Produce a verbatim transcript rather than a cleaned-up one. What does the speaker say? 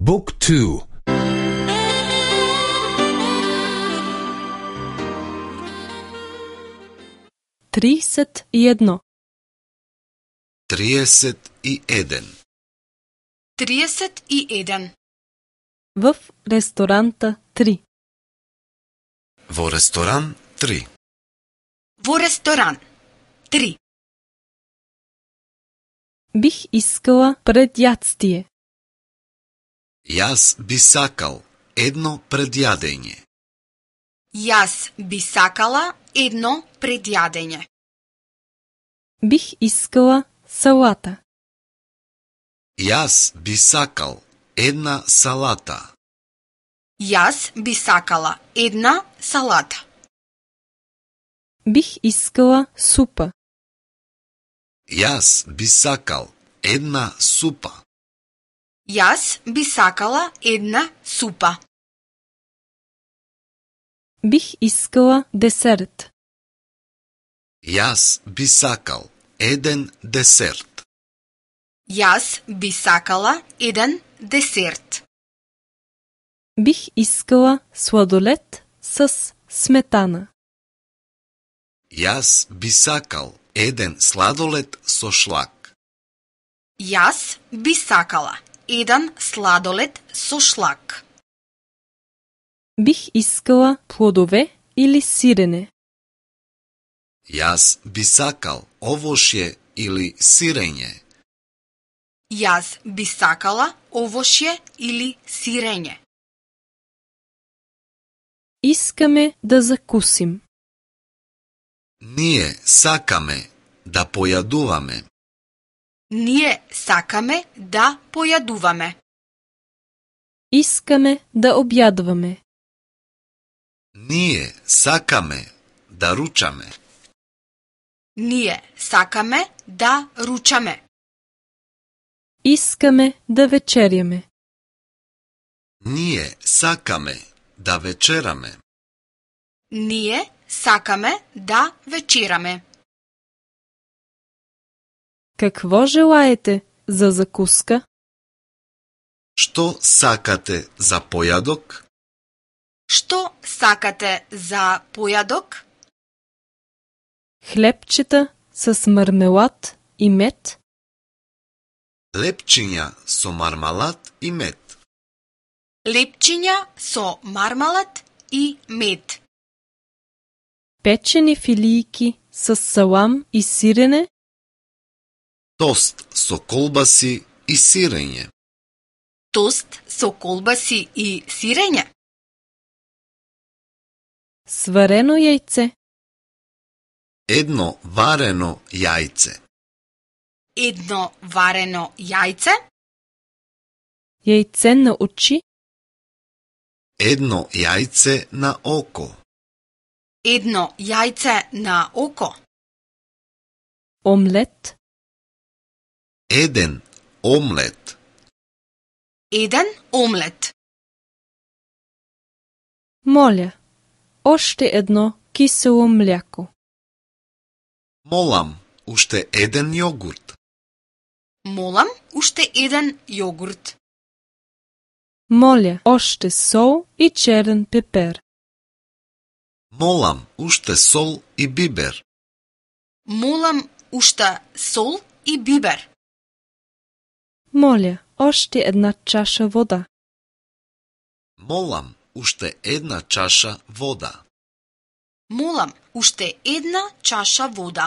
Book two. тридесет и едно. триесет и еден. триесет и еден. В ресторанта три. Во ресторан три. Во ресторан три. Бих искала предјадстие. Јас би сакал едно предјадење. Јас би сакала едно предјадење. Бих искала салата. Јас би сакал една салата. Јас би сакала една салата. Бих искала супа. Јас би сакал една супа. Јас би сакала една супа. Бих искала десерт. Јас би сакал еден десерт. Јас би сакала еден десерт. Бих искала сладолед с сметана. Јас би сакал еден сладолед со шлак. Јас би сакала еден сладолед со шлак. Бих искала плодове или сирене. Јас би сакал овошје или сирење. Јас би сакала овошје или сирење. Искаме да закусим. Ние сакаме да појадуваме. Ние сакаме да појадуваме. Искаме да објадваме. Ние сакаме да ручаме. Ние сакаме да ручаме. Искаме да вечерјаме. Ние сакаме да вечераме. Ние сакаме да вечераме. Какво желаете за закуска? Што сакате за појадок? Што сакате за појадок? Хлебчета с мармелад и мед? Лепчиња со мармалад и мед. Лепчиња со мармалад и мед. Печени филијки с салам и сирене? Тост со колбаси и сирење. Тост со колбаси и сирење. Сварено јајце? Едно варено јајце. Едно варено јајце. Јајце на очи? Едно јајце на око. Едно јајце на око. Омлет? Еден омлет. Еден омлет. Моля, оште едно кисело мљако. Молам, уште еден јогурт. Молам уште еден јогурт. Моля, оште сол и черен пепер. Молам, уште сол и бибер. Молам уште сол и бибер. Моля, оште една чаша вода. Молам, уште една чаша вода. Молам уште една чаша вода.